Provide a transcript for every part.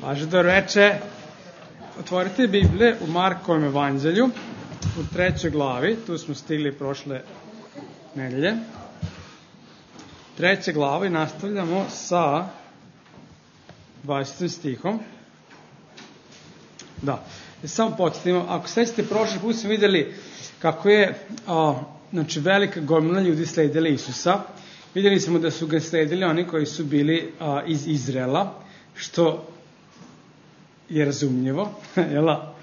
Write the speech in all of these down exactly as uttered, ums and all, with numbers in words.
Paže do reče, otvorite Biblije u Markovom evanđelju, u trećoj glavi, tu smo stigli prošle nedelje. Treća glava i nastavljamo sa dvadesetim stihom. Da, samo podsjetimo, ako sećate, prošle put smo vidjeli kako je a, znači, velika gomila ljudi sledila Isusa. Vidjeli smo da su ga sledili oni koji su bili a, iz Izraela, što je razumljivo, jela?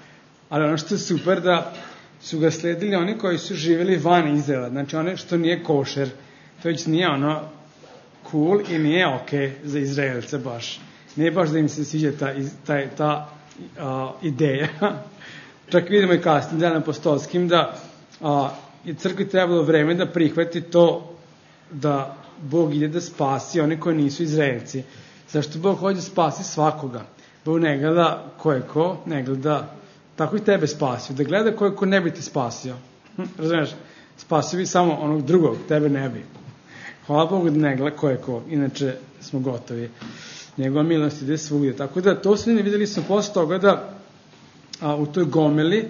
Ali ono što je super da su ga sledili oni koji su živjeli van Izraela, znači ono što nije košer, to već nije ono cool i nije ok za Izraelce baš. Nije baš da im se sviđa ta, ta, ta a, ideja. Čak vidimo i kasnim delom apostolskim da a, je crkvi trebalo vreme da prihvati to da Bog ide da spasi one koji nisu Izraelci. Zašto Bog hoće spasi svakoga? Bog ne gleda ko je ko, ne gleda, tako i tebe spasio. Da gleda ko je ko ne bi te spasio. Hm, razumiješ? Spasio bi samo onog drugog, tebe ne bi. Hvala Bogu da ne gleda ko je ko, inače smo gotovi. Njegova milost ide svugdje. Tako da to sve ne vidjeli smo posle toga da a, u toj gomeli,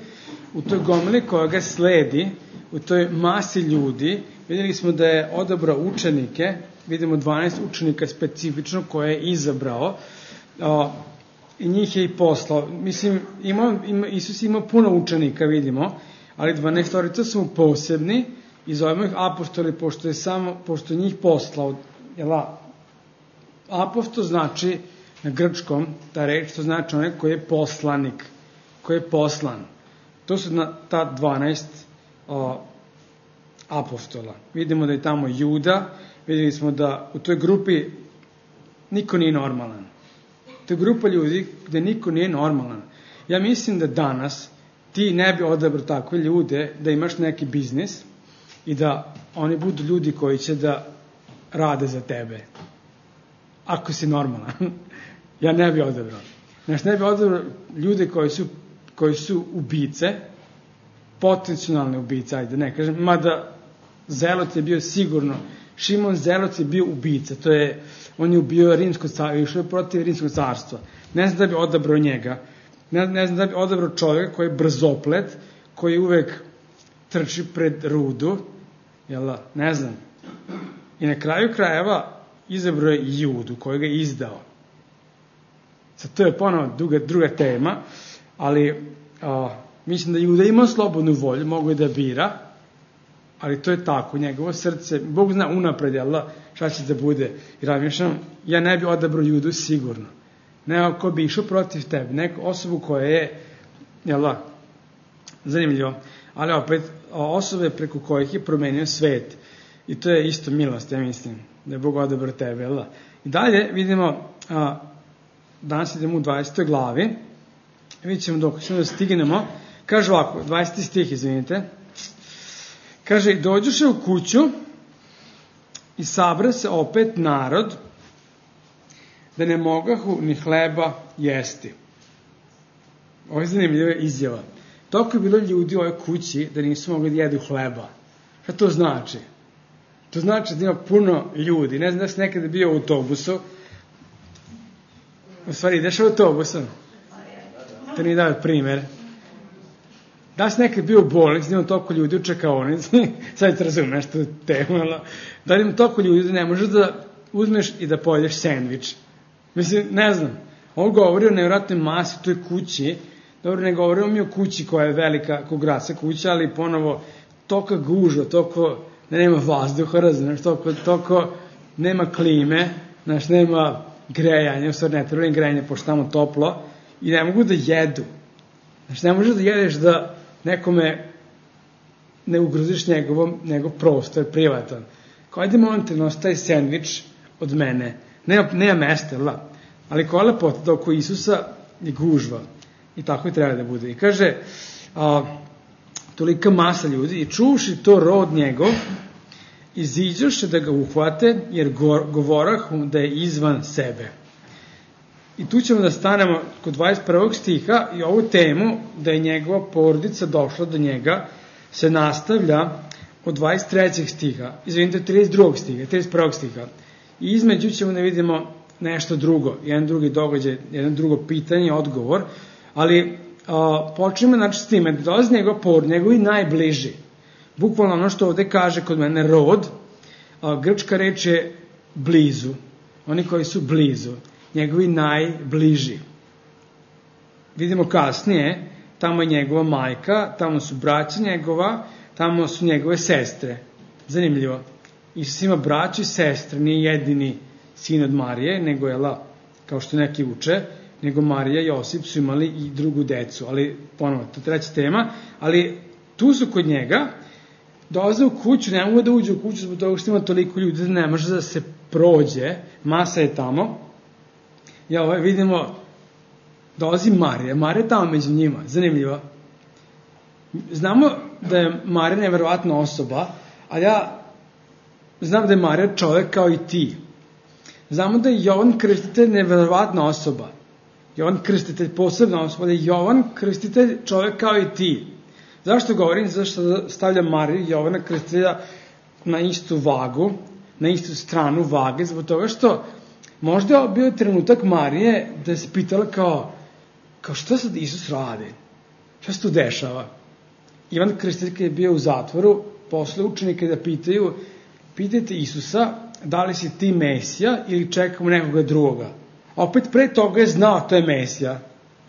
u toj gomeli koja ga sledi, u toj masi ljudi, vidjeli smo da je odabrao učenike, vidimo dvanaest učenika specifično koje je izabrao, a, i njih je i poslao. Mislim, ima, ima, Isus ima puno učenika, vidimo, ali dvanaestorica su mu posebni i zovemo ih apostoli, pošto je samo, pošto je njih poslao. Jela, apostol znači na grčkom, ta reč, to znači onaj koji je poslanik, koji je poslan. To su na ta dvanaest o, apostola. Vidimo da je tamo Juda, vidjeli smo da u toj grupi niko nije normalan. To je grupa ljudi gde niko nije normalan. Ja mislim da danas ti ne bi odabrao takve ljude da imaš neki biznis i da oni budu ljudi koji će da rade za tebe. Ako si normalan. Ja ne bi odabrao. Znači, ne bi odabrao ljude koji su, koji su ubice, potencijalne ubice, ajde ne kažem, mada Zelot je bio sigurno, Šimon Zelot je bio ubica, to je, on je ubio rimsko carstvo, išao je protiv rimskog carstva. Ne znam da bi odabrao njega, ne, ne znam da bi odabrao čovjeka koji je brzoplet, koji uvek trči pred rudu, jel, ne znam. I na kraju krajeva izabrao je Judu, koji ga je izdao. Sad, to je ponovno druga, druga tema, ali a, mislim da Juda ima slobodnu volju, mogu je da bira, ali to je tako, njegovo srce, Bog zna unapred, jel, šta će da bude. I razmišljam, ja ne bi odabrao Judu sigurno. Neko ko bi išao protiv tebe, neku osobu koja je, jel, zanimljivo, ali opet osobe preko kojih je promenio svet. I to je isto milost, ja mislim, da je Bog odabrao tebe, jel. I dalje vidimo, a, danas idemo u dvadesetoj glavi, vidjet ćemo dok ćemo da stignemo, kaže ovako, dvadeseti stih, izvinite, kaže, dođoše u kuću i sabra se opet narod, da ne mogahu ni hleba jesti. Ovo je zanimljiva izjava. Toliko je bilo ljudi u ovoj kući da nisu mogli da jedu hleba. Šta to znači? To znači da ima puno ljudi. Ne znam da si nekada bio u autobusu. U stvari, ideš u autobusom? To nije dao primjer. Da si nekad bio u bolnici, da ima toliko ljudi u čekaonici, sad te razumeš tu temu, da ima toliko ljudi da ne možeš da uzmeš i da pojedeš sendvič. Mislim, ne znam, on govori o nevjerojatnoj masi u toj kući, dobro, ne govorimo mi o kući koja je velika, kao gradska kuća, ali ponovo toliko gužva, toliko da nema vazduha, razumeš, toliko, toliko nema klime, znaš, nema grejanja, u stvari ne treba im grejanje, pošto tamo toplo, i ne mogu da jedu. Znači, ne možeš da jedeš da nekome ne ugroziš njegovom, njegov prostor, privatan. Kao, ajde molim te, nosi taj sendvič od mene. Nema, nema mesta, la. Ali koja je lepota da oko Isusa je gužva. I tako i treba da bude. I kaže, a, tolika masa ljudi, i čuvši to rod njegov, iziđoše da ga uhvate, jer go, govorah da je izvan sebe. I tu ćemo da stanemo kod dvadeset prvog stiha i ovu temu da je njegova porodica došla do njega se nastavlja od dvadeset trećeg stiha, izvinite, trideset drugog stiha, trideset prvog stiha. I između ćemo da vidimo nešto drugo, jedan drugi događaj, jedan drugo pitanje, odgovor, ali a, počnemo znači s time, da dolazi njegov porod, njegovi najbliži. Bukvalno ono što ovde kaže kod mene rod, a, grčka reč je blizu, oni koji su blizu, njegovi najbliži. Vidimo kasnije, tamo je njegova majka, tamo su braća njegova, tamo su njegove sestre. Zanimljivo. Isus ima braću i sestre, nije jedini sin od Marije, nego je, la, kao što neki uče, nego Marija i Josip su imali i drugu decu, ali ponovno, to je treća tema, ali tu su kod njega, dolaze u kuću, ne mogu da uđe u kuću zbog toga što ima toliko ljudi da ne može da se prođe, masa je tamo, i ovaj, vidimo, dolazi Marija, Marija je tamo među njima, zanimljivo. Znamo da je Marija neverovatna osoba, ali ja znam da je Marija čovek kao i ti. Znamo da je Jovan Krstitelj neverovatna osoba. Jovan Krstitelj posebna osoba, da je Jovan Krstitelj čovek kao i ti. Zašto govorim? Zašto stavlja Mariju i Jovana Krstitelja na istu vagu, na istu stranu vage, zbog toga što možda je bio trenutak Marije da se pitala kao, kao što sad Isus radi? Šta se tu dešava? Ivan Krstitelj je bio u zatvoru, posle učenike da pitaju, pitajte Isusa da li si ti Mesija ili čekamo nekoga drugoga. Opet pre toga je znao to je Mesija.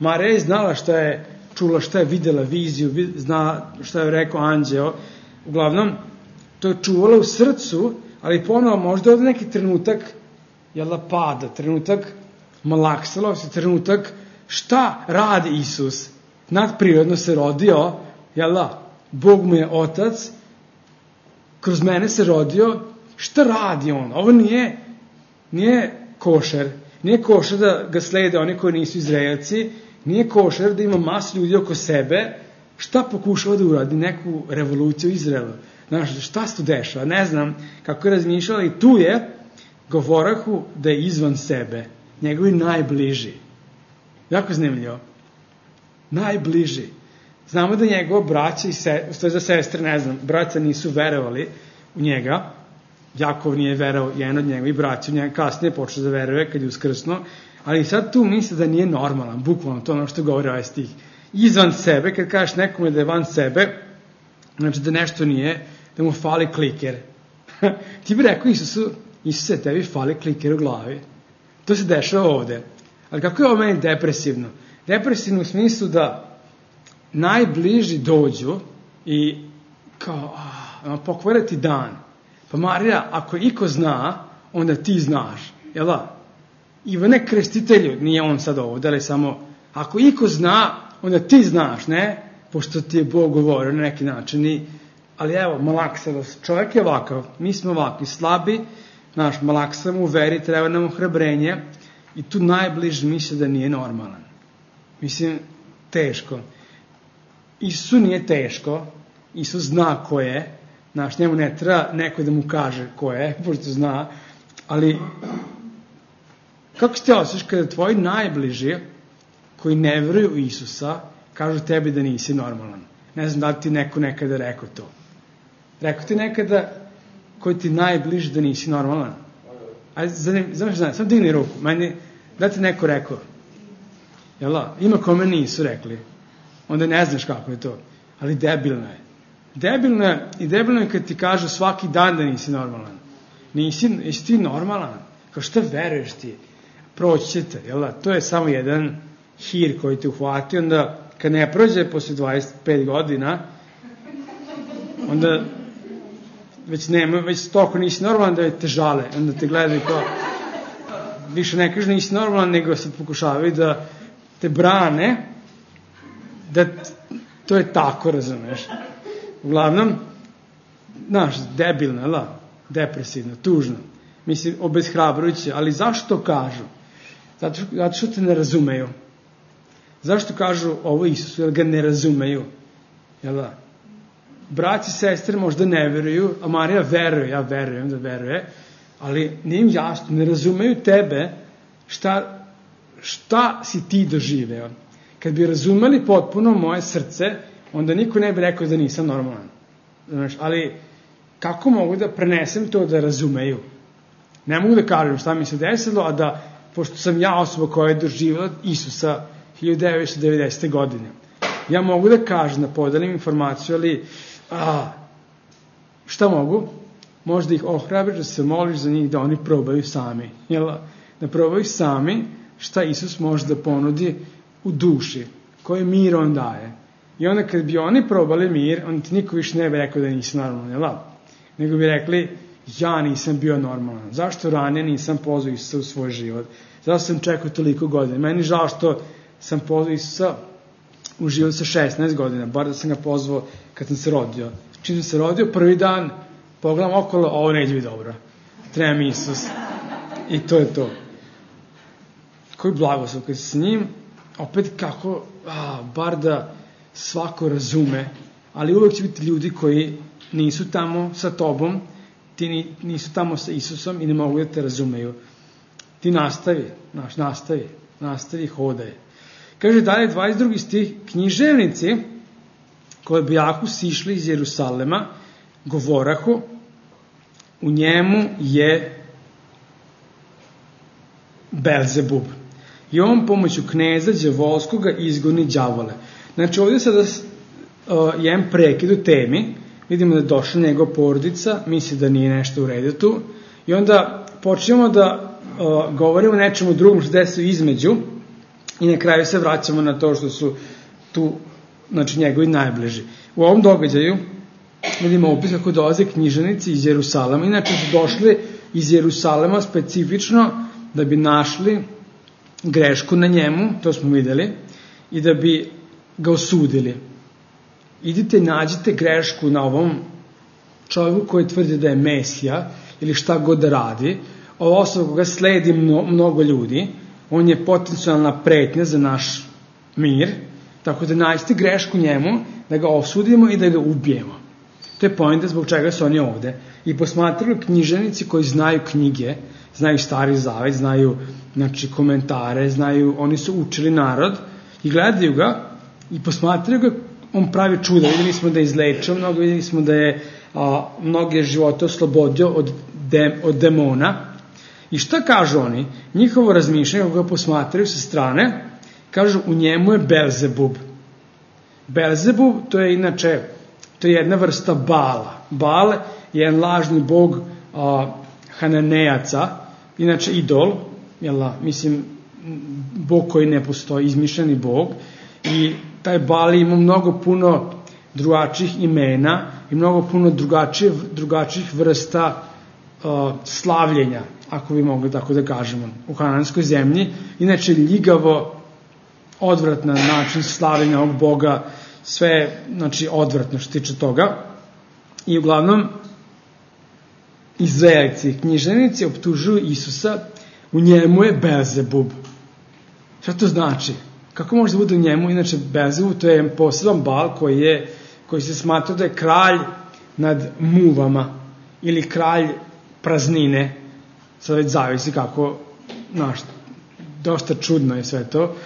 Marija je znala šta je čula, šta je videla viziju, zna šta je rekao anđeo. Uglavnom, to je čuvala u srcu, ali ponovo možda od neki trenutak jela pada, trenutak malaksalosti, trenutak šta radi Isus. Nadprirodno se rodio, jela, Bog mu je otac, kroz mene se rodio, šta radi on? Ovo nije, nije košer, nije košer da ga slede oni koji nisu Izraelci, nije košer da ima masu ljudi oko sebe, šta pokušava da uradi neku revoluciju u Izraelu? Znaš, šta se tu dešava? Ne znam kako je razmišljala i tu je govorahu da je izvan sebe, njegovi najbliži. Jako zanimljivo. Najbliži. Znamo da njegova braća i se, to je za sestre, ne znam, braća nisu verovali u njega, Jakov nije verao, jedan od njegovih braća u njega kasnije počeo da veruje kad je uskrsno, ali sad tu misle da nije normalan, bukvalno to ono što govori ovaj stih. Izvan sebe, kad kažeš nekome da je van sebe, znači da nešto nije, da mu fali kliker. Ti bi rekao Isusu, Isuse, tebi fali kliker u glavi. To se dešava ovde. Ali kako je ovo meni depresivno? Depresivno u smislu da najbliži dođu i kao, a, pokvare ti dan. Pa Marija, ako iko zna, onda ti znaš. Jel da? Ivane Krstitelju, nije on sad ovde, ali samo, ako iko zna, onda ti znaš, ne? Pošto ti je Bog govorio na neki način. I, ali evo, malakselost. Čovjek je ovakav, mi smo ovakvi, slabi, naš malaksam u veri, treba nam ohrabrenje i tu najbliži misle da nije normalan. Mislim, teško. Isusu nije teško, Isus zna ko je, znaš, njemu ne treba neko da mu kaže ko je, pošto zna, ali kako se ti osjećaš kada tvoji najbliži koji ne veruju u Isusa kažu tebi da nisi normalan? Ne znam da li ti neko nekada rekao to. Rekao ti nekada koji ti najbliži da nisi normalan? Ajde, znaš, znaš, sam digni ruku, meni, da ti neko rekao? Jel da? Ima kome nisu rekli. Onda ne znaš kako je to. Ali debilno je. Debilno je i debilno je kad ti kažu svaki dan da nisi normalan. Nisi, jesi ti normalan? Kao šta veruješ ti? Proći ćete, jel da? To je samo jedan hir koji te uhvati, onda kad ne prođe posle dvadeset pet godina, onda već nema, već toliko nisi normalan da te žale, onda te gledaju kao, više ne kažu nisi normalan, nego se pokušavaju da te brane, da to je tako, razumeš. Uglavnom, znaš, debilno, la, depresivno, tužno, mislim, obeshrabrujuće, ali zašto kažu? Zato, zato što te ne razumeju. Zašto kažu ovo Isusu? Jer ga ne razumeju. Jel da? Braći i sestre možda ne veruju, a Marija veruje, ja verujem da veruje, ali nije im jasno, ne razumeju tebe šta, šta si ti doživeo. Kad bi razumeli potpuno moje srce, onda niko ne bi rekao da nisam normalan. Znaš, ali kako mogu da prenesem to da razumeju? Ne mogu da kažem šta mi se desilo, a da pošto sam ja osoba koja je doživjela Isusa hiljadu devetsto devedesete. godine. Ja mogu da kažem, da podelim informaciju, ali a, šta mogu? Možda ih ohrabriš da se moliš za njih, da oni probaju sami. Jel? Da probaju sami šta Isus može da ponudi u duši, koji mir on daje. I onda kad bi oni probali mir, onda ti niko više ne bi rekao da nisi normalan, jel? Nego bi rekli, ja nisam bio normalan. Zašto ranije nisam pozvao Isusa u svoj život? Zašto sam čekao toliko godina? Meni žao što sam pozvao Isusa u život sa šesnaest godina, bar da sam ga pozvao kad sam se rodio. Čim sam se rodio, prvi dan pogledam okolo, ovo neće biti dobro. Treba mi Isus. I to je to. Koji blagoslov kad si s njim, opet kako, a, bar da svako razume, ali uvek će biti ljudi koji nisu tamo sa tobom, ti nisu tamo sa Isusom i ne mogu da te razumeju. Ti nastavi, naš, nastavi, nastavi, hodaj. Kaže dalje dvadeset drugi stih, književnici koji bijahu sišli iz Jerusalema, govorahu, u njemu je Belzebub. I on pomoću kneza đavolskoga izgoni đavole. Znači ovdje sada uh, jedan prekid u temi, vidimo da je došla njegova porodica, misli da nije nešto u redu tu, i onda počnemo da uh, govorimo o nečemu drugom što desu između i na kraju se vraćamo na to što su tu, znači, njegovi najbliži. U ovom događaju vidimo opis kako dolaze književnici iz Jerusalema. Inače su došli iz Jerusalema specifično da bi našli grešku na njemu, to smo videli, i da bi ga osudili. Idite i nađite grešku na ovom čovjeku koji tvrdi da je Mesija ili šta god da radi. Ova osoba koga sledi mnogo ljudi, on je potencijalna pretnja za naš mir, tako da nađite grešku njemu, da ga osudimo i da ga ubijemo. To je poenta zbog čega su oni ovde. I posmatrali književnici koji znaju knjige, znaju Stari Zavet, znaju, znači, komentare, znaju, oni su učili narod i gledaju ga i posmatraju ga, on pravi čuda. Videli smo da je izlečio mnogo, videli smo da je a, mnoge živote oslobodio od, de, od demona. I šta kažu oni? Njihovo razmišljanje, kako ga posmatraju sa strane, kažu, u njemu je Belzebub. Belzebub, to je inače, to je jedna vrsta Bala. Bal je jedan lažni bog a, Hananejaca, inače idol, jel, mislim, bog koji ne postoji, izmišljeni bog, i taj Bal ima mnogo puno drugačijih imena i mnogo puno drugačijih, drugačijih vrsta uh, slavljenja, ako bi mogli tako da kažemo, u Hananskoj zemlji. Inače, ljigavo, odvratna način slavljenja ovog boga, sve, znači, odvratno što tiče toga. I uglavnom, Izraelci, književnici optužuju Isusa, u njemu je Belzebub. Šta to znači? Kako može da bude u njemu? Inače, Belzebub, to je poseban bal koji, je, koji se smatra da je kralj nad muvama ili kralj praznine. Sad već zavisi kako, znaš, dosta čudno je sve to.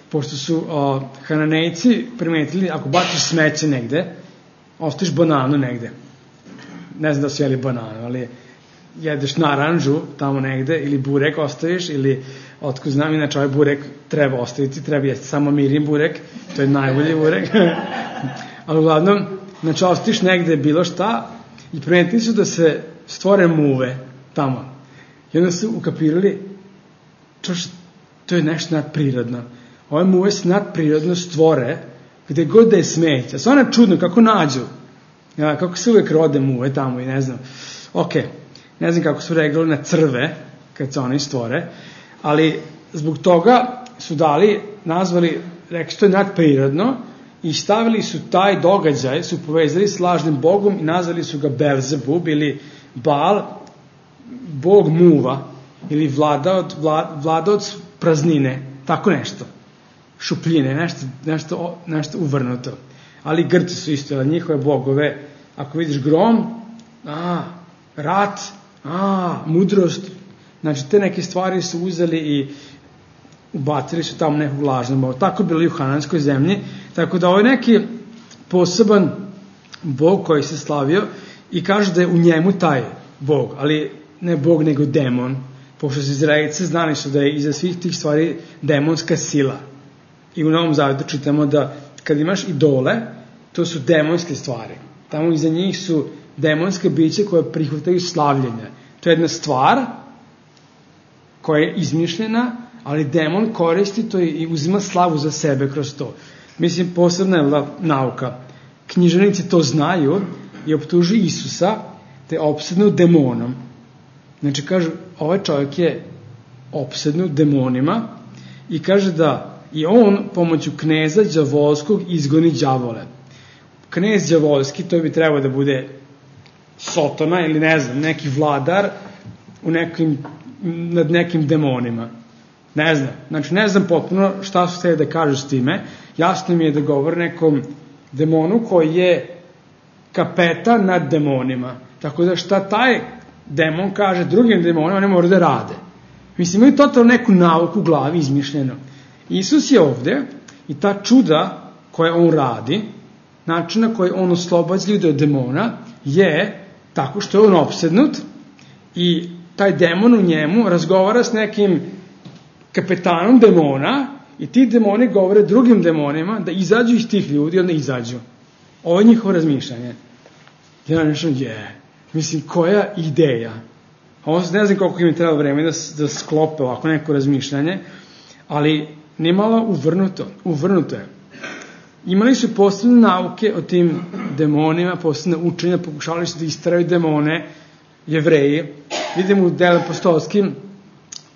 Pošto su o, Hananejci primetili, ako baciš smeće negde, ostaviš bananu negde. Ne znam da su jeli bananu, ali jedeš naranđu tamo negde, ili burek ostaviš, ili otko znam, inače ovaj burek treba ostaviti, treba jesti samo mirin burek, to je najbolji burek. Ali uglavnom, znači ostaviš negde bilo šta i primetili su da se stvore muve tamo. I onda su ukapirali, čoš, to je nešto nadprirodno. Ove muve se nadprirodno stvore gde god da je smeća. Stvarno je čudno kako nađu. Ja, kako se uvek rode muve tamo i ne znam. Ok, ne znam kako su reagovali na crve kad se oni stvore, ali zbog toga su dali, nazvali, rekli što je nadprirodno i stavili su taj događaj, su povezali s lažnim bogom i nazvali su ga Belzebub ili Bal, bog muva ili vladaoc, vladaoc praznine, tako nešto. Šupljine, nešto, nešto, nešto uvrnuto. Ali Grci su isto, ali njihove bogove, ako vidiš grom, a, rat, a, mudrost, znači te neke stvari su uzeli i ubacili su tamo nekog lažnog boga. Tako je bilo i u Hananskoj zemlji, tako da ovo je neki poseban bog koji se slavio i kaže da je u njemu taj bog, ali ne bog nego demon, pošto su Izraelci znali su da je iza svih tih stvari demonska sila. I u Novom Zavetu čitamo da kad imaš idole, to su demonske stvari. Tamo iza njih su demonske biće koje prihvataju slavljenje. To je jedna stvar koja je izmišljena, ali demon koristi to i uzima slavu za sebe kroz to. Mislim, posebna je nauka. Književnici to znaju i optužuju Isusa te je opsednut demonom. Znači, kažu, ovaj čovjek je opsednut demonima i kaže da i on pomoću kneza đavolskog izgoni đavole. Knez đavolski, to bi trebao da bude Sotona ili ne znam, neki vladar u nekim, nad nekim demonima. Ne znam. Znači, ne znam potpuno šta su htjeli da kažu s time. Jasno mi je da govore nekom demonu koji je kapetan nad demonima. Tako da šta taj demon kaže drugim demonima, oni moraju da rade. Mislim, imaju totalno neku nauku u glavi izmišljeno. Isus je ovde i ta čuda koje on radi, način na koji on oslobađa ljude od demona, je tako što je on opsednut i taj demon u njemu razgovara s nekim kapetanom demona i ti demoni govore drugim demonima da izađu iz tih ljudi i onda izađu. Ovo je njihovo razmišljanje. Ja nešto je, mislim, koja ideja? Ovo ne znam koliko im je trebalo vreme da, da sklope ovako neko razmišljanje, ali nimalo uvrnuto, uvrnuto je. Imali su posebne nauke o tim demonima, posebne učenja, pokušali su da isteraju demone, Jevreji. Vidimo u Delu apostolskim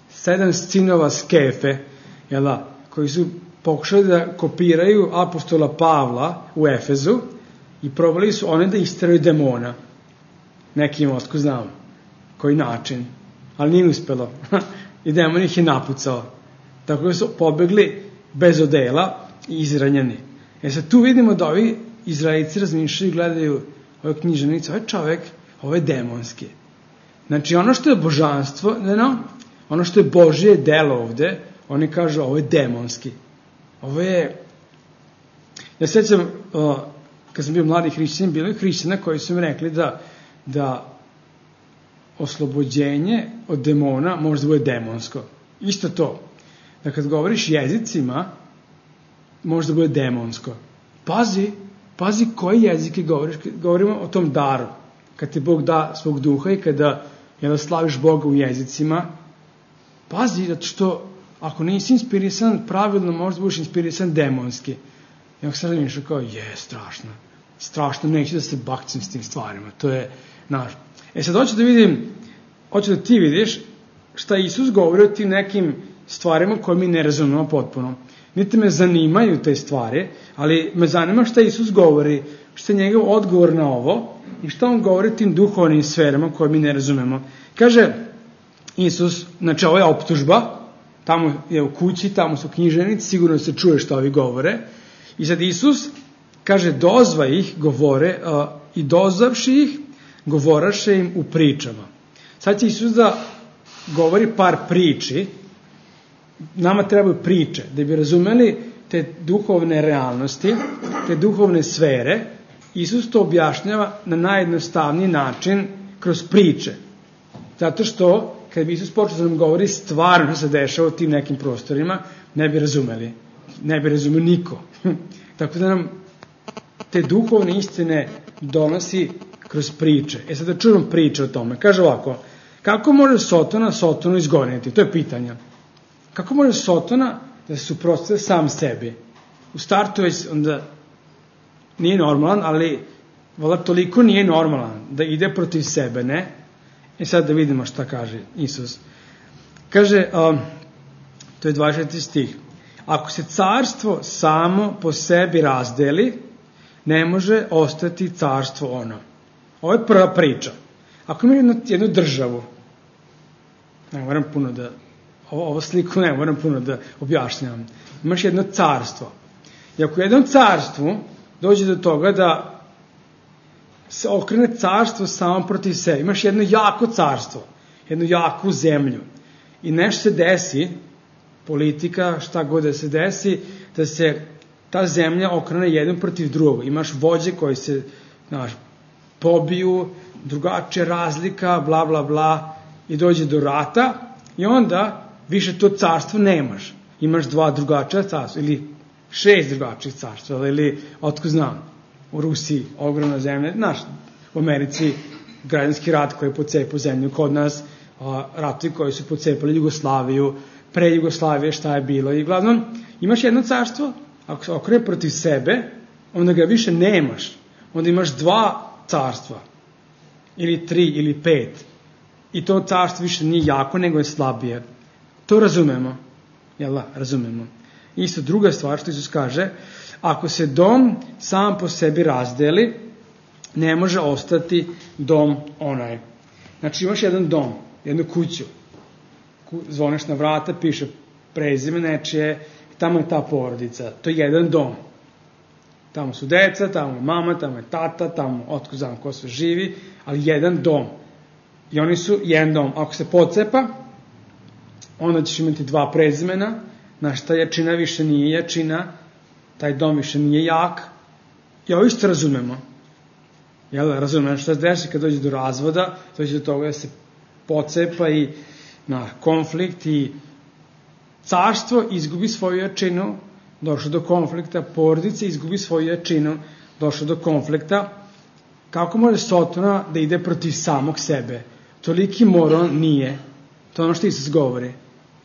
sedam sinova Skefe, jela, koji su pokušali da kopiraju apostola Pavla u Efezu i probali su one da isteraju demona. Nekim otko znamo koji način, ali nije uspelo. I demon ih je napucao. Tako da su pobegli bez odela i izranjeni. E sad tu vidimo da ovi Izraelci razmišljaju i gledaju ove književnice, ovaj čovek, ovo je demonski. Znači ono što je božanstvo, no, ono što je Božje delo ovde, oni kažu ovo je demonski. Ovo je, ja sećam, uh, kad sam bio mladi hrišćanin, bilo je hrišćana koji su mi rekli da, da oslobođenje od demona može da bude demonsko. Isto to. Da kad govoriš jezicima, može da bude demonsko. Pazi, pazi koji jezike govoriš. Govorimo o tom daru. Kad ti Bog da svog duha i kada jel, slaviš Boga u jezicima, pazi, zato što ako nisi inspirisan pravilno, možda budeš inspirisan demonski. I ako sad razmišljam kao, je, strašno. Strašno, neću da se bakcim s tim stvarima. To je naš. E sad hoću da vidim, hoću da ti vidiš šta Isus govori o tim nekim stvarima koje mi ne razumemo potpuno. Niti me zanimaju te stvari, ali me zanima šta Isus govori, šta je njegov odgovor na ovo i šta on govori tim duhovnim sferama koje mi ne razumemo. Kaže Isus, znači ovo je optužba, tamo je u kući, tamo su književnici, sigurno se čuje šta ovi govore. I sad Isus kaže, dozva ih, govore, uh, i dozavši ih, govoraše im u pričama. Sad će Isus da govori par priči, nama trebaju priče, da bi razumeli te duhovne realnosti, te duhovne sfere. Isus to objašnjava na najjednostavniji način kroz priče. Zato što, kad bi Isus počeo da nam govori stvarno se dešava u tim nekim prostorima, ne bi razumeli. Ne bi razumeli niko. Tako da nam te duhovne istine donosi kroz priče. E sad da čujemo priče o tome. Kaže ovako, kako može Sotona Sotonu izgoniti? To je pitanje. Kako može Sotona da se suprotstavi sam sebi? U startu već onda nije normalan, ali vola toliko nije normalan da ide protiv sebe, ne? I sad da vidimo šta kaže Isus. Kaže, um, to je dvadeseti stih, ako se carstvo samo po sebi razdeli, ne može ostati carstvo ono. Ovo je prva priča. Ako ima jednu, jednu državu, ne moram puno da, ovo, ovo sliku ne moram puno da objašnjavam, imaš jedno carstvo. I ako u jednom carstvu dođe do toga da se okrene carstvo samo protiv sebe, imaš jedno jako carstvo, jednu jaku zemlju i nešto se desi, politika, šta god da se desi, da se ta zemlja okrene jednom protiv drugog. Imaš vođe koji se, znaš, pobiju, drugačija razlika, bla, bla, bla, i dođe do rata I onda više to carstvo nemaš. Imaš dva drugačija carstva ili šest drugačijih carstva ili otko znam, u Rusiji ogromna zemlja, znaš, u Americi građanski rat koji je pocepao zemlju, kod nas a, ratovi koji su pocepali Jugoslaviju, pre Jugoslavije šta je bilo i glavnom imaš jedno carstvo, ako se okrene protiv sebe, onda ga više nemaš, onda imaš dva carstva ili tri ili pet i to carstvo više nije jako nego je slabije. To razumemo, jel da, razumemo. Isto druga stvar što Isus kaže, ako se dom sam po sebi razdeli, ne može ostati dom onaj. Znači imaš jedan dom, jednu kuću, zvoneš na vrata, piše prezime nečije, tamo je ta porodica, to je jedan dom. Tamo su deca, tamo je mama, tamo je tata, tamo otko znam ko sve živi, ali jedan dom. I oni su jedan dom. Ako se pocepa, onda ćeš imati dva prezimena, znaš, ta jačina više nije jačina, taj dom više nije jak. I ovo isto razumemo. Jel, razumemo što se desi kad dođe do razvoda, dođe do toga da se pocepa i na konflikt i carstvo izgubi svoju jačinu, došlo do konflikta, porodica izgubi svoju jačinu, došlo do konflikta. Kako može Sotona da ide protiv samog sebe? Toliki moron nije. To je ono što Isus govori.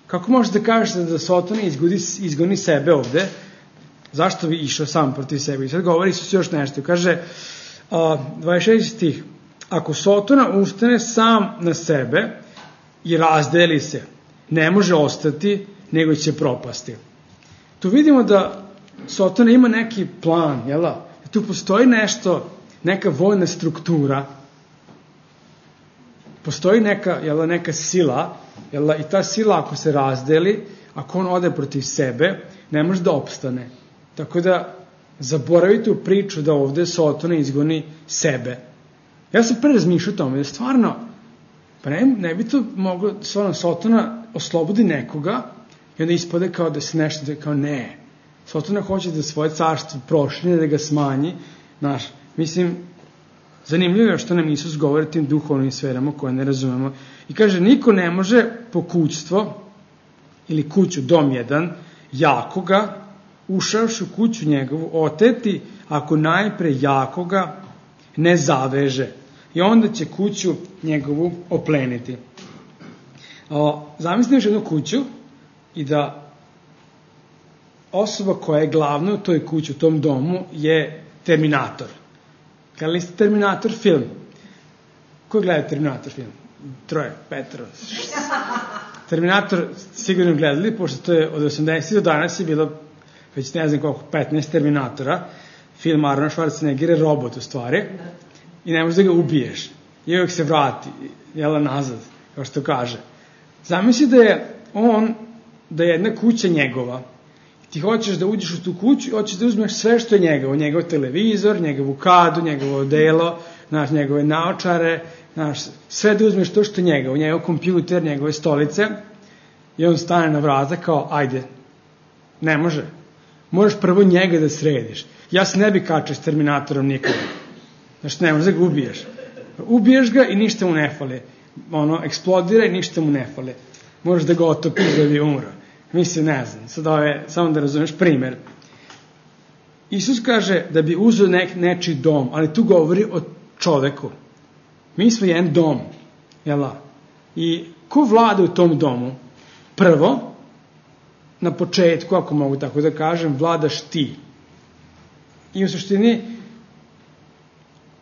Kako možeš da kažeš da Sotona izgoni, izgoni sebe ovde? Zašto bi išao sam protiv sebe? I sad govori Isus još nešto. Kaže, a, dvadeset šesti stih, ako Sotona ustane sam na sebe i razdeli se, ne može ostati, nego će propasti. Tu vidimo da Sotona ima neki plan, jel da? Tu postoji nešto, neka vojna struktura, postoji neka, jel da, neka sila, jel da, i ta sila ako se razdeli, ako on ode protiv sebe, ne može da opstane. Tako da zaboravite u priču da ovde Sotona izgoni sebe. Ja sam pre razmišljao o tome, da stvarno, pa ne, ne bi to moglo, stvarno, Sotona oslobodi nekoga i onda ispade kao da se nešto, da kao ne. Sotona hoće da svoje carstvo prošlje, da ga smanji. Znaš, mislim, zanimljivo je što nam Isus govori tim duhovnim sferama koje ne razumemo. I kaže, niko ne može pokućstvo ili kuću, dom jedan, jakoga, ušavši u kuću njegovu, oteti ako najpre jakoga ne zaveže. I onda će kuću njegovu opleniti. O, zamisli još jednu kuću i da osoba koja je glavna u toj kući, u tom domu, je Terminator. Gledali ste Terminator film? Ko gleda Terminator film? Troje, petro. Terminator sigurno gledali, pošto to je od osamdesetih do danas je bilo već ne znam koliko, petnaest Terminatora. Film Arnold Schwarzenegger je robot u stvari i ne možeš da ga ubiješ. I uvijek se vrati, jela nazad, kao što kaže. Zamisli da je on, da je jedna kuća njegova. Ti hoćeš da uđeš u tu kuću i hoćeš da uzmeš sve što je njegovo. Njegov televizor, njegovu kadu, njegovo odelo, znaš, njegove naočare, znaš, sve da uzmeš to što je njegovo. Njegov kompjuter, njegove stolice. I on stane na vrata kao, ajde, ne može. Moraš prvo njega da središ. Ja se ne bi kačao s Terminatorom nikada. Znaš, ne možeš da ga ubiješ. Ubiješ ga i ništa mu ne fali. Ono, eksplodira i ništa mu ne fali. Moraš da ga otopiš da bi umro. Mislim, ne znam, sad ovo je, samo da razumeš primer. Isus kaže da bi uzeo nek, nečiji dom, ali tu govori o čoveku. Mi smo jedan dom, jel da? I ko vlada u tom domu? Prvo, na početku, ako mogu tako da kažem, vladaš ti. I u suštini,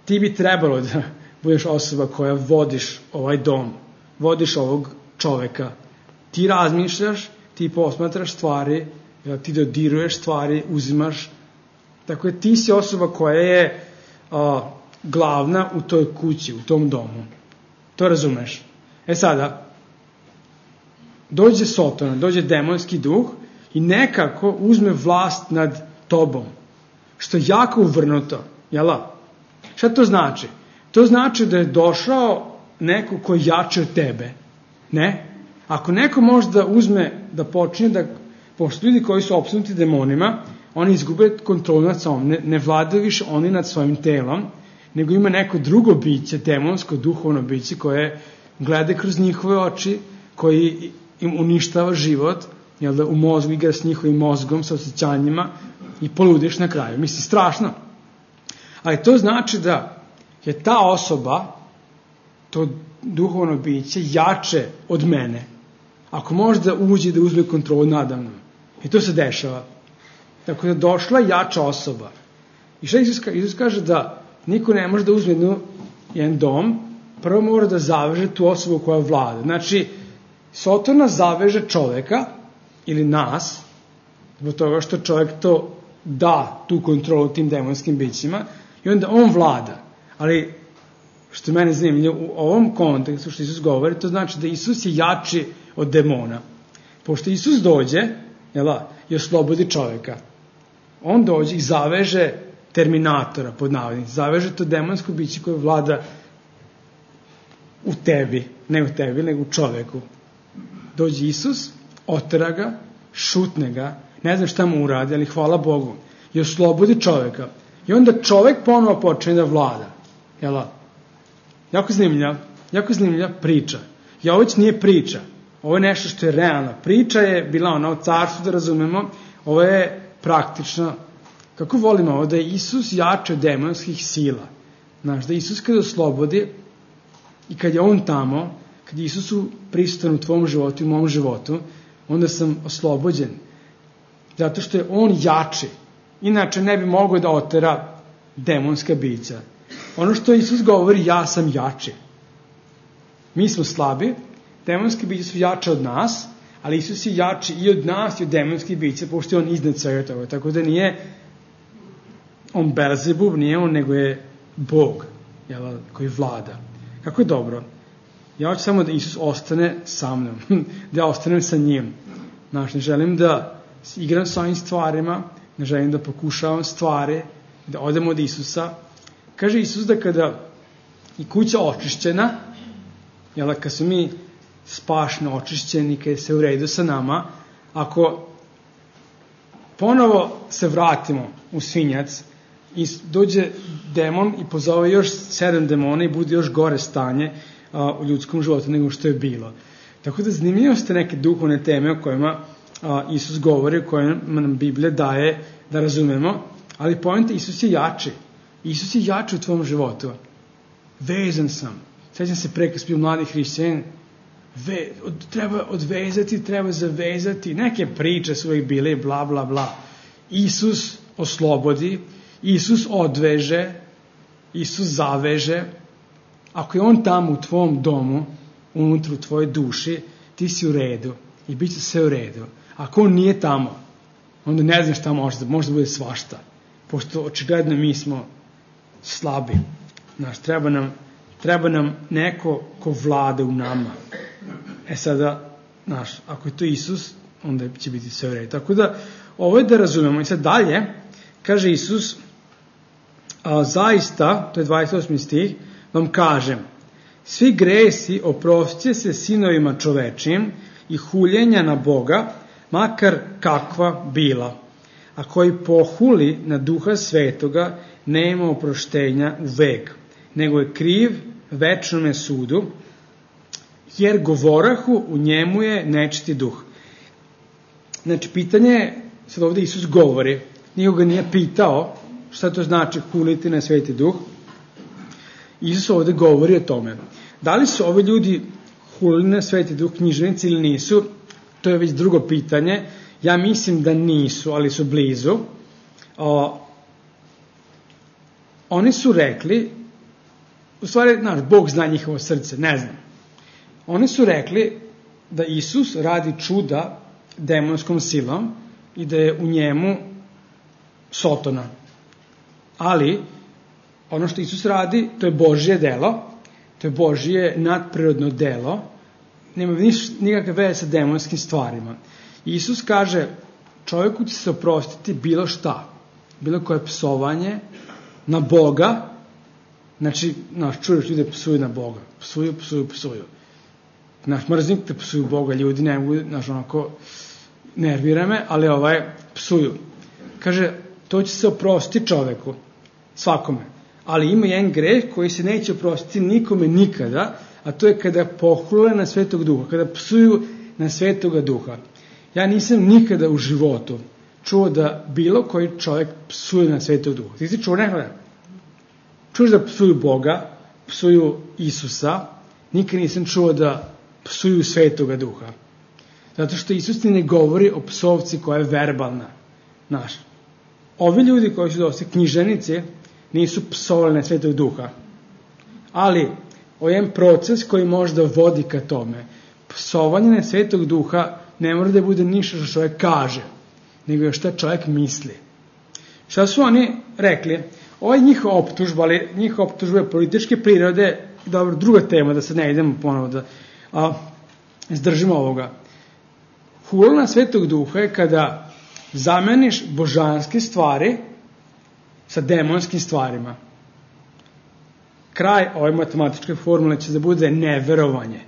ti bi trebalo da budeš osoba koja vodiš ovaj dom, vodiš ovog čoveka. Ti razmišljaš, ti posmatraš stvari, ti dodiruješ stvari, uzimaš. Tako je, ti si osoba koja je a, glavna u toj kući, u tom domu. To razumeš. E sada, dođe Sotona, dođe demonski duh i nekako uzme vlast nad tobom. Što je jako uvrnuto. Jela? Šta to znači? To znači da je došao neko ko je jači od tebe. Ne? Ako neko može da uzme, da počne da, pošto ljudi koji su opsnuti demonima, oni izgube kontrolu nad sobom, ne, ne vladaju više oni nad svojim telom, nego ima neko drugo biće, demonsko, duhovno biće, koje gleda kroz njihove oči, koji im uništava život, jel da, u mozgu igra s njihovim mozgom, sa osjećanjima i poludiš na kraju. Mislim, strašno. Ali to znači da je ta osoba, to duhovno biće, jače od mene. Ako može da uđe da uzme kontrolu nadamnom. I to se dešava. Tako da došla jača osoba. I šta Isus kaže? Isus kaže da niko ne može da uzme jednu, jedan dom, prvo mora da zaveže tu osobu koja vlada. Znači, Sotona zaveže čoveka ili nas, zbog toga što čovek to da, tu kontrolu tim demonskim bićima, i onda on vlada. Ali, što mene zanimljivo, u ovom kontekstu što Isus govori, to znači da Isus je jači od demona. Pošto Isus dođe, jela, i oslobodi čoveka, on dođe i zaveže terminatora, pod navodnicima, zaveže to demonsko biće koje vlada u tebi, ne u tebi, nego u čoveku. Dođe Isus, otera ga, šutne ga, ne znam šta mu uradi, ali hvala Bogu, i oslobodi čoveka. I onda čovek ponovo počne da vlada. Jela? Jako zanimljiva, jako zanimljiva priča. I ovo već nije priča, ovo je nešto što je realno. Priča je bila ona o carstvu, da razumemo, ovo je praktično. Kako volimo ovo, da je Isus jače od demonskih sila. Znaš, da Isus kada oslobodi i kad je on tamo, kad je Isusu prisutan u tvom životu i u mom životu, onda sam oslobođen. Zato što je on jači. Inače ne bi mogao da otera demonska bića. Ono što Isus govori, ja sam jači. Mi smo slabi, demonske biće su jače od nas, ali Isus je jači i od nas i od demonskih bića, pošto je on iznad svega toga. Tako da nije on Belzebub, nije on, nego je Bog, jel, koji vlada. Kako je dobro. Ja hoću samo da Isus ostane sa mnom, da ja ostanem sa njim. Znaš, ne želim da igram sa ovim stvarima, ne želim da pokušavam stvari, da odemo od Isusa. Kaže Isus da kada i kuća očišćena, jel, kad su mi spašno očišćeni, kada se u redu sa nama, ako ponovo se vratimo u svinjac i dođe demon i pozove još sedam demona i bude još gore stanje a, u ljudskom životu nego što je bilo. Tako da zanimljivo ste neke duhovne teme o kojima a, Isus govori, o kojima nam Biblija daje da razumemo, ali poenta, Isus je jači. Isus je jači u tvom životu. Vezan sam. Sjećam se pre kad sam bio mladi hrišćanin, Ve, od, treba odvezati, treba zavezati, neke priče su uvijek bile, bla, bla, bla. Isus oslobodi, Isus odveže, Isus zaveže. Ako je on tamo u tvom domu, unutra u tvojoj duši, ti si u redu i bit će sve u redu. Ako on nije tamo, onda ne znam šta možda, možda bude svašta. Pošto očigledno mi smo slabi. Znaš, treba nam, treba nam neko ko vlada u nama. E sada, znaš, ako je to Isus, onda će biti sve u redu. Tako da, ovo je da razumemo. I sad dalje, kaže Isus, a, zaista, to je dvadeset osmi stih, vam kažem, svi gresi oprostit se sinovima čovečijim i huljenja na Boga, makar kakva bila. A koji pohuli na Duha Svetoga, nema oproštenja u vek, nego je kriv večnome sudu, jer govorahu u njemu je nečiti duh. Znači, pitanje je, sad ovdje Isus govori, nikoga nije pitao šta to znači huliti na Sveti duh. Isus ovdje govori o tome. Da li su ovi ljudi hulili na Sveti duh književnici ili nisu, to je već drugo pitanje. Ja mislim da nisu, ali su blizu. O, oni su rekli, u stvari, znaš, Bog zna njihovo srce, ne znam. Oni su rekli da Isus radi čuda demonskom silom i da je u njemu Sotona. Ali, ono što Isus radi, to je Božje delo, to je Božje nadprirodno delo, nema nikakve veze sa demonskim stvarima. Isus kaže, čovjeku će se oprostiti bilo šta, bilo koje psovanje na Boga, znači, znaš, čuješ ljude psuju na Boga, psuju, psuju, psuju. Znaš, mrznik te psuju Boga, ljudi ne mogu, znaš, onako, nervira me, ali ovaj, psuju. Kaže, to će se oprostiti čoveku, svakome. Ali ima jedan greh koji se neće oprostiti nikome nikada, a a to je kada pohule na Svetog Duha, kada psuju na Svetoga Duha. Ja nisam nikada u životu čuo da bilo koji čovjek psuje na Svetog Duha. Ti si čuo nekada? Čuš da psuju Boga, psuju Isusa, nikad nisam čuo da psuju Svetoga Duha. Zato što Isus ti ne govori o psovci koja je verbalna. Znaš, ovi ljudi koji su dosta knjiženici nisu psovali na Svetog Duha. Ali, ovo je jedan proces koji možda vodi ka tome. Psovanje na Svetog Duha ne mora da bude ništa što čovjek kaže, nego je šta čovjek misli. Šta su oni rekli? Ovo je njihova optužba, ali njihova optužba je političke prirode. Dobro, druga tema, da sad ne idemo ponovo da a, izdržimo ovoga. Hula na Svetog Duha je kada zameniš božanske stvari sa demonskim stvarima. Kraj ove matematičke formule će da bude neverovanje.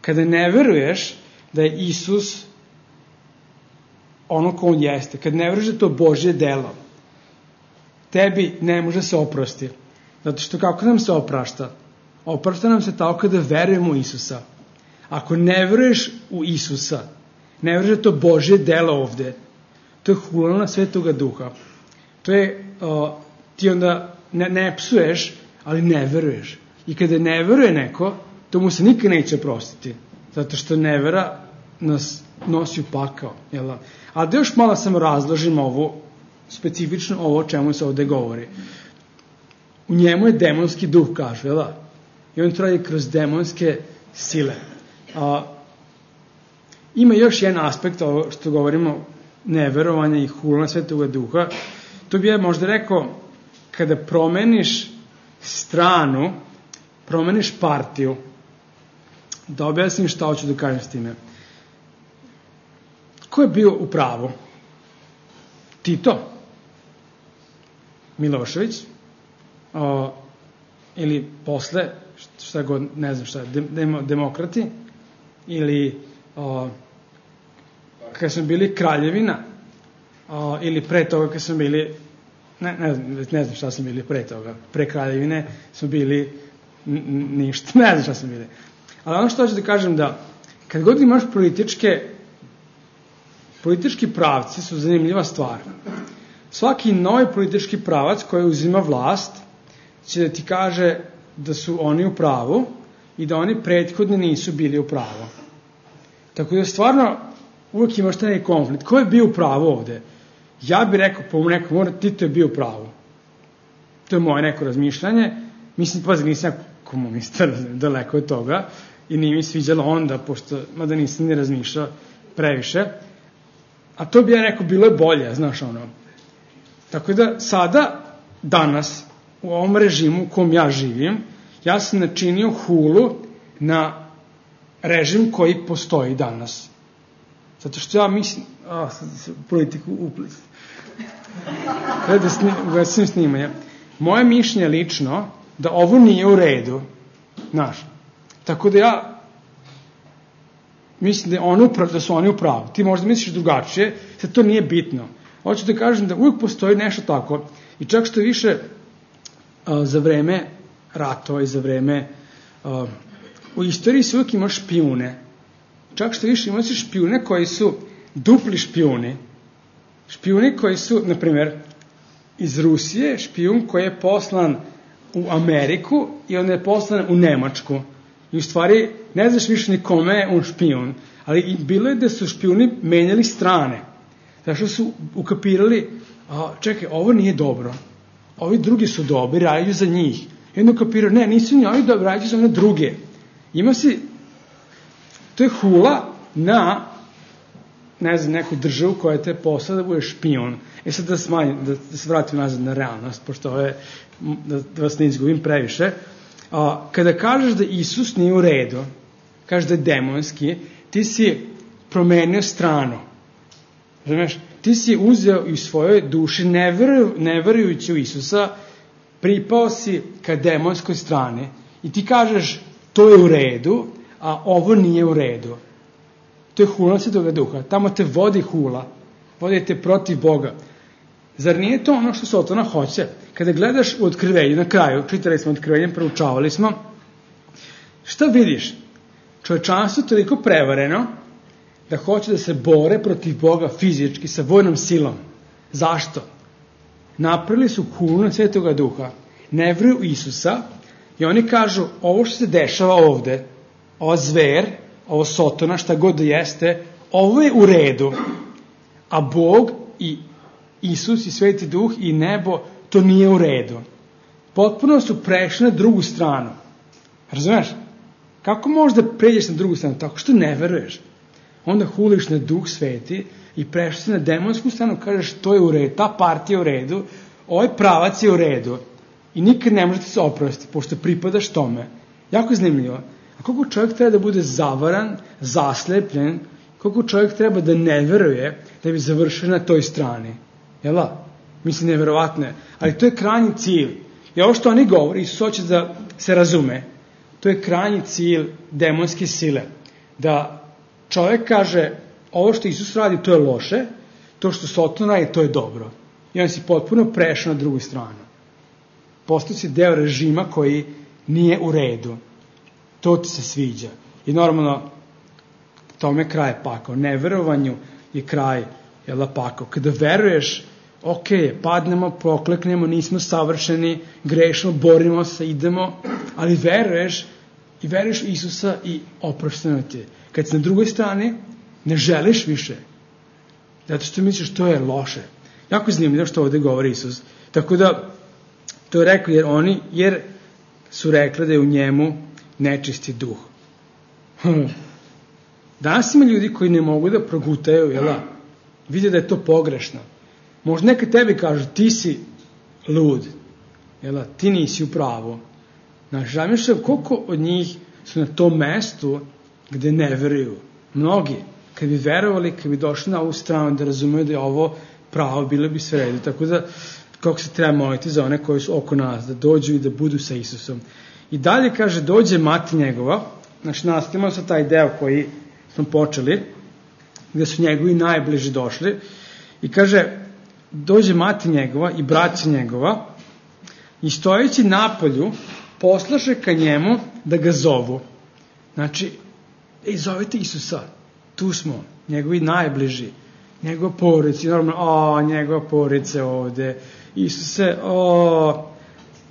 Kada ne veruješ da je Isus ono ko on jeste, kad ne veruješ da je to Božje delo, tebi ne može se oprosti. Zato što kako nam se oprašta? Oprašta nam se tako kada verujemo u Isusa. Ako ne veruješ u Isusa, ne veruješ da je to Božje delo ovde, to je hula na Svetoga Duha. To je, uh, ti onda ne, ne psuješ, ali ne veruješ. I kada ne veruje neko, to mu se nikad neće oprostiti. Zato što nevera nas nosi u pakao. Jel? A da još malo samo razložim ovo, specifično ovo o čemu se ovde govori. U njemu je demonski duh, kažu, jel? I on traje kroz demonske sile. A, ima još jedan aspekt ovo što govorimo, neverovanja i hula Svetoga Duha. To bi ja možda rekao, kada promeniš stranu, promeniš partiju, da objasnim šta hoću da kažem s time. Ko je bio u pravu? Tito? Milošević? O, ili posle, šta god, ne znam šta, dem, demokrati? Ili o, kada smo bili kraljevina? O, ili pre toga kada smo bili, ne, ne, ne znam šta smo bili pre toga, pre kraljevine smo bili n, ništa, ne znam šta smo bili. Ali ono što hoću da kažem da, kad god imaš političke, politički pravci su zanimljiva stvar. Svaki novi politički pravac koji uzima vlast će da ti kaže da su oni u pravu i da oni prethodni nisu bili u pravu. Tako da stvarno uvijek imaš taj konflikt. Ko je bio u pravu ovde? Ja bih rekao, po nekom mora, Tito je bio u pravu. To je moje neko razmišljanje. Mislim, pa nisam komunista, daleko od toga, i nije mi sviđalo onda, pošto, mada nisam ni razmišljao previše. A to bi ja rekao, bilo je bolje, znaš ono. Tako da sada, danas, u ovom režimu u kom ja živim, ja sam načinio hulu na režim koji postoji danas. Zato što ja mislim, a, politiku uplis. Kada ugasim snimanje. Moje mišljenje lično, da ovo nije u redu, znaš. Tako da ja mislim da, je ono uprav, da su oni u pravu. Ti možda misliš drugačije, sad to nije bitno. Hoću da kažem da uvijek postoji nešto tako i čak što više a, za vreme ratova i za vreme a, u istoriji se uvijek ima špijune. Čak što više imaš špijune koji su dupli špijuni. Špijuni koji su, na primjer, iz Rusije, špijun koji je poslan u Ameriku i on je poslan u Nemačku. I u stvari ne znaš više ni kome je on špijun. Ali bilo je da su špijuni menjali strane. Zato što su ukapirali, a, čekaj, ovo nije dobro. Ovi drugi su dobri, rađu za njih. I onda ukapirali, ne, nisu ni ovi dobri, rađu za one druge. Ima si, to je hula na, ne znam, neku državu koja te posla da bude špijun. E sad da smanjim, da, da se vratim nazad na realnost, pošto ovo je, da, da vas ne izgubim previše. A, kada kažeš da Isus nije u redu, kažeš da je demonski, ti si promenio stranu. Razumeš? Ti si uzeo i u svojoj duši, ne, veru, ne verujući u Isusa, pripao si ka demonskoj strani i ti kažeš to je u redu, a ovo nije u redu. To je hula Svetoga Duha. Tamo te vodi hula. Vodi te protiv Boga. Zar nije to ono što Sotona hoće? Kada gledaš u Otkrivenju, na kraju, čitali smo Otkrivenje, proučavali smo, Šta vidiš? Čovečanstvo je toliko prevareno da hoće da se bore protiv Boga fizički sa vojnom silom. Zašto? Napravili su kulu na Svetoga Duha, ne veruju u Isusa i oni kažu ovo što se dešava ovde, ova zver, ovo sotona, šta god da jeste, ovo je u redu, a Bog i Isus i Sveti Duh i nebo, to nije u redu. Potpuno su prešli na drugu stranu. Razumeš? Kako možeš da pređeš na drugu stranu? Tako što ne veruješ. Onda huliš na Duh Sveti i prešli se na demonsku stranu, kažeš to je u redu, ta partija je u redu, ovaj pravac je u redu i nikad ne možete se oprostiti, pošto pripadaš tome. Jako zanimljivo. A koliko čovjek treba da bude zavaran, zaslepljen, koliko čovjek treba da ne veruje da bi završio na toj strani. Jel da? Mislim, neverovatno je. Ali to je krajnji cilj. I ovo što oni govori, Isus hoće da se razume, to je krajnji cilj demonske sile. Da čovjek kaže, ovo što Isus radi, to je loše, to što Soton radi, to je dobro. I on si potpuno prešao na drugu stranu. Postao si deo režima koji nije u redu. To ti se sviđa. I normalno, tome kraj je pakao. Neverovanju je kraj, jel da, pakao. Kada veruješ, ok, padnemo, prokleknemo, nismo savršeni, grešimo, borimo se, idemo, ali veruješ i veruješ u Isusa i oprošteno ti je. Kad si na drugoj strani, ne želiš više. Zato što misliš to je loše. Jako je zanimljivo što ovde govori Isus. Tako da, to je rekao jer oni, jer su rekli da je u njemu nečisti duh. Danas ima ljudi koji ne mogu da progutaju, jel da? Vide da je to pogrešno. Možda neka tebi kažu, ti si lud, jel da? Ti nisi u pravu. Znaš, zamišljam koliko od njih su na tom mestu gde ne veruju. Mnogi, kad bi verovali, kad bi došli na ovu stranu da razumeju da je ovo pravo, bilo bi sve redu. Tako da, kako se treba moliti za one koji su oko nas, da dođu i da budu sa Isusom. I dalje kaže, dođe mati njegova, znači nastavimo sa taj deo koji smo počeli, gde su njegovi najbliži došli, i kaže, dođe mati njegova i braća njegova, i stojeći napolju, poslaše ka njemu da ga zovu. Znači, ej, zovite Isusa, tu smo, njegovi najbliži, njegova porodica, normalno, o, njegova porodica ovde, Isuse, o,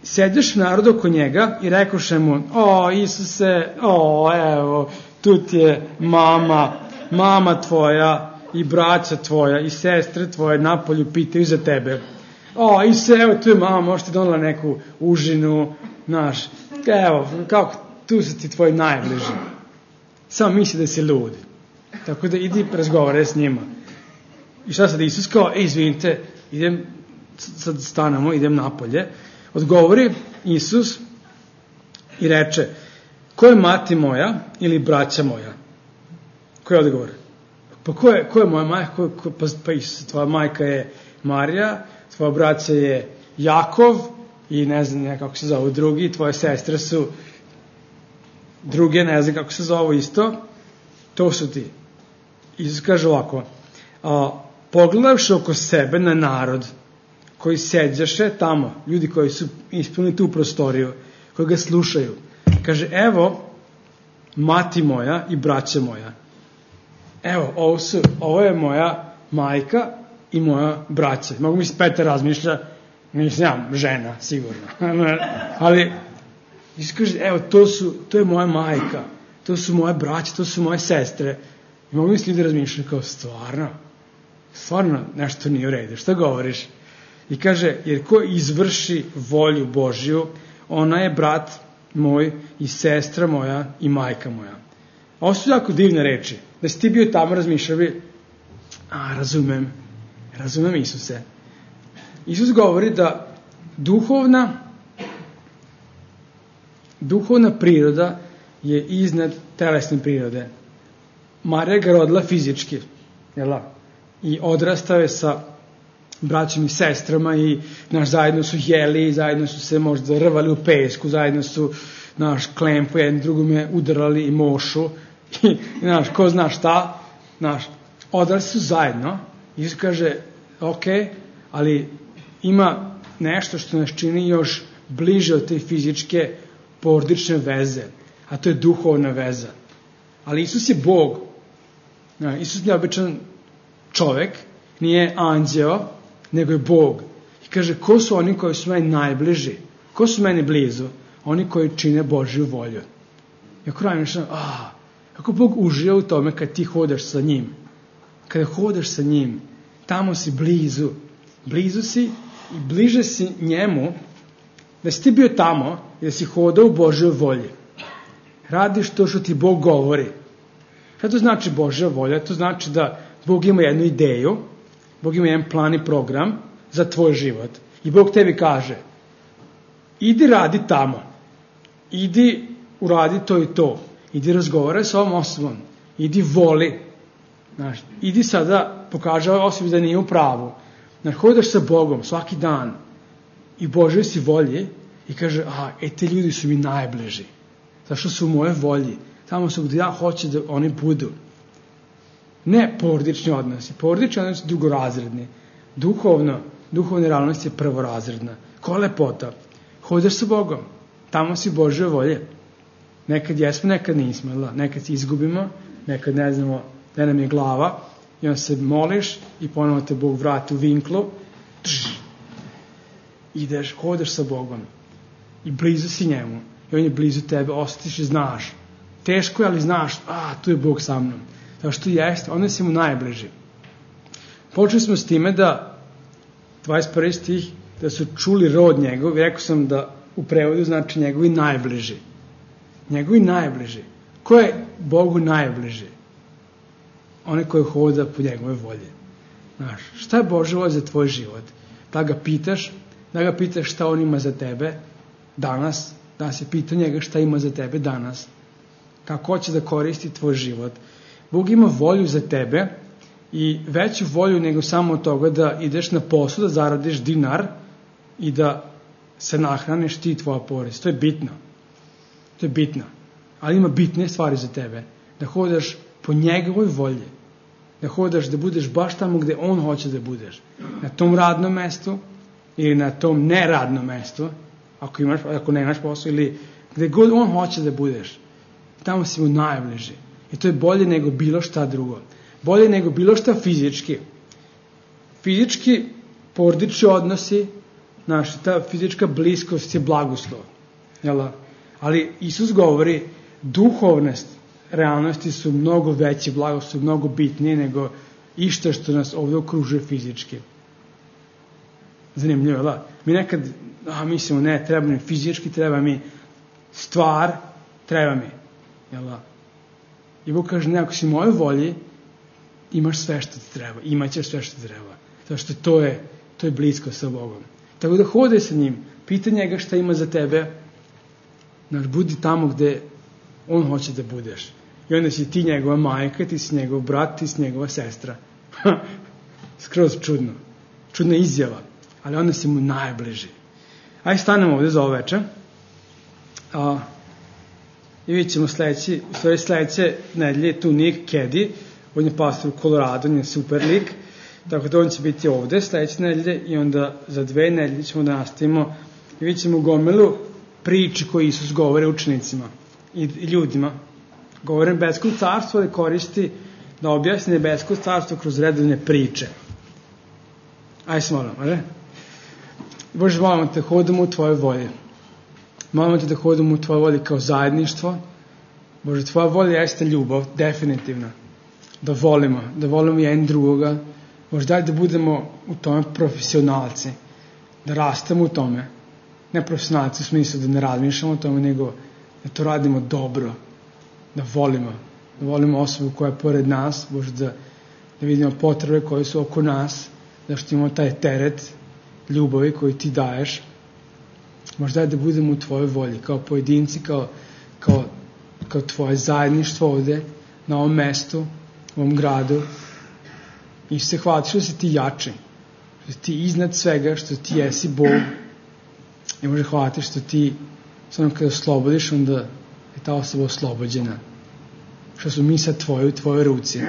sedješ narod oko njega i rekoše mu, o, Isuse, o, evo, tu ti je mama, mama tvoja i braća tvoja i sestre tvoje napolju pitaju za tebe. O, Isuse, evo, tu je mama, možete donela neku užinu, znaš, evo, kako, tu su ti tvoji najbliži. Samo misli da si lud. Tako da idi razgovore s njima. I šta sad Isus kao, ej, izvinite, idem, sad stanemo, idem napolje. Odgovori Isus i reče, ko je mati moja ili braća moja? Ko je odgovor? Pa ko je, ko je moja majka? Ko, ko, pa, pa Isus, tvoja majka je Marija, tvoja braća je Jakov i ne znam ne, kako se zove drugi, tvoje sestre su druge, ne znam kako se zove isto, to su ti. Isus kaže ovako, a, pogledavši oko sebe na narod koji seđaše tamo, ljudi koji su ispunili tu prostoriju, koji ga slušaju, kaže, evo, mati moja i braća moja. Evo, ovo, su, ovo je moja majka i moja braća. Mogu mi se Petar razmišlja, nisam ja žena, sigurno. Ali, Isus kaže, evo, to, su, to je moja majka, to su moje braće, to su moje sestre. I mogu mi se ljudi razmišljati kao, stvarno, stvarno nešto nije u redu. Šta govoriš? I kaže, jer ko izvrši volju Božju, ona je brat moj i sestra moja i majka moja. Ovo su jako divne reči. Da si ti bio tamo razmišljao bi, a, razumem, razumem Isuse. Isus govori da duhovna, duhovna priroda je iznad telesne prirode. Marija ga rodila fizički, jel da? I odrastao je sa braćom i sestrama i naš zajedno su jeli, zajedno su se možda rvali u pesku, zajedno su naš klempu jednom drugome udarali i mošu i naš ko zna šta, naš odrastao su zajedno. Isus kaže, ok, ali ima nešto što nas čini još bliže od te fizičke porodične veze, a to je duhovna veza. Ali Isus je Bog. Isus nije običan čovek, nije anđeo, nego je Bog. I kaže, ko su oni koji su meni najbliži? Ko su meni blizu? Oni koji čine Božju volju. I ako razmišljam, a, kako Bog uživa u tome kad ti hodaš sa njim. Kada hodaš sa njim, tamo si blizu. Blizu si i bliže si njemu, da si ti bio tamo i da si hodao u Božjoj volji. Radiš to što ti Bog govori. Šta to znači Božja volja? To znači da Bog ima jednu ideju, Bog ima jedan plan i program za tvoj život. I Bog tebi kaže, idi radi tamo, idi uradi to i to, idi razgovaraj sa ovom osobom, idi voli, znaš, idi sada pokaže ovoj osobi da nije u pravu. Znaš, hodaš sa Bogom svaki dan i Božoj si volji i kaže, a, e, te ljudi su mi najbliži, zašto su u moje volji, tamo su gdje ja hoću da oni budu. Ne porodični odnosi, porodični odnosi drugorazredni, duhovno, duhovna realnost je prvorazredna. Ko lepota, hodaš sa Bogom, tamo si Božje volje. Nekad jesmo, nekad nismo, da? Nekad se izgubimo, nekad ne znamo gde nam je glava i onda se moliš i ponovo te Bog vrati u vinklu, tš, ideš, hodaš sa Bogom i blizu si njemu i on je blizu tebe, osjetiš i znaš. Teško je, ali znaš, a, tu je Bog sa mnom. Zato što jeste, onda si mu najbliži. Počeli smo s time da, dvadeset prvi stih, da su čuli rod njegov, rekao sam da u prevodu znači njegovi najbliži. Njegovi najbliži. Ko je Bogu najbliži? Onaj koji hoda po njegove volje. Znaš, šta je Božja volja za tvoj život? Da ga pitaš, da ga pitaš šta on ima za tebe danas, da se pita njega šta ima za tebe danas, kako hoće da koristi tvoj život. Bog ima volju za tebe i veću volju nego samo od toga da ideš na posao, da zaradiš dinar i da se nahraniš ti i tvoja porodica. To je bitno. To je bitno. Ali ima bitne stvari za tebe. Da hodaš po njegovoj volji. Da hodaš da budeš baš tamo gde on hoće da budeš. Na tom radnom mestu ili na tom neradnom mestu, ako, imaš, ako nemaš posao, ili gde god on hoće da budeš. Tamo si mu najbliži. I to je bolje nego bilo šta drugo. Bolje nego bilo šta fizički. Fizički porodični odnosi, znaš, ta fizička bliskost je blagoslov. Jel? Ali Isus govori, duhovnost realnosti su mnogo veće, blagoslov, mnogo bitnije nego išta što nas ovdje okružuje fizički. Zanimljivo, da? Mi nekad a, mislimo, ne, treba mi fizički, treba mi stvar, treba mi. Jel? I Bog kaže, ne, ako si moje volji, imaš sve što ti treba, imaćeš sve što ti treba. Zato što to je, to je blisko sa Bogom. Tako da hodaj sa njim, pita njega šta ima za tebe, znaš, budi tamo gde on hoće da budeš. I onda si ti njegova majka, ti si njegov brat, ti si njegova sestra. Skroz čudno. Čudna izjava. Ali onda si mu najbliži. Ajde stanemo ovdje za ovo večer. A, I vidjet ćemo sledeći, u stvari sledeće nedelje, tu Nick Keddy, on je pastor u Colorado, on je super lik, tako da on će biti ovde sledeće nedelje i onda za dve nedelje ćemo da nastavimo i vidjet ćemo gomilu priči koje Isus govore učenicima i, i ljudima. Govore nebesko carstvo, ali koristi da objasni nebesko carstvo kroz redovne priče. Ajde se molimo, ne? Bože, molimo te, hodamo u tvoje volje. Molimo te da hodamo u tvoje volje kao zajedništvo. Bože, tvoja volja jeste ljubav, definitivno. Da volimo, da volimo jedan drugoga. Bože, daj da budemo u tome profesionalci. Da rastemo u tome. Ne profesionalci u smislu da ne razmišljamo o tome, nego da to radimo dobro. Da volimo. Da volimo osobu koja je pored nas. Bože, da, da vidimo potrebe koje su oko nas. Da što imamo taj teret ljubavi koji ti daješ. Možda da budemo u tvojoj volji, kao pojedinci, kao, kao, kao tvoje zajedništvo ovde, na ovom mestu, u ovom gradu. I se hvala što si ti jači, što si ti iznad svega, što ti jesi Bog. I može hvala ti što ti, samo kada oslobodiš, onda je ta osoba oslobođena. Što su mi sad tvoje u tvojoj ruci.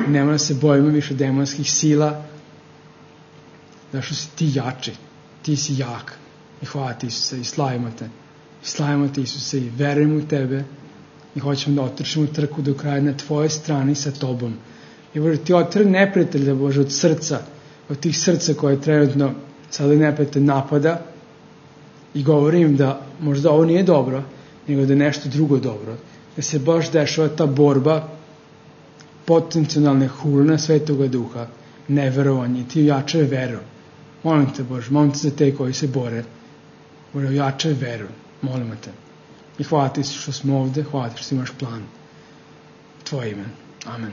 Nema da se bojimo više demonskih sila, da što si ti jači, ti si jak. I hvala ti, Isuse, i slavimo te. I slavimo te, Isuse, i verujemo u tebe i hoćemo da otrčimo trku do kraja na tvojoj strani sa tobom. I Bože, ti otrvi neprijatelja, Bože, od srca, od tih srca koje trenutno sada neprijatelj napada i govorim da možda ovo nije dobro, nego da je nešto drugo dobro. Da se baš dešava ta borba potencijalne hulne Svetoga Duha, neverovanje, ti ojačaj veru. Molim te, Bože, molim te za te koji se bore. Bože, ojačaj veru, molimo te. I hvala ti što smo ovde, hvala ti što imaš plan. Tvoje ime. Amen.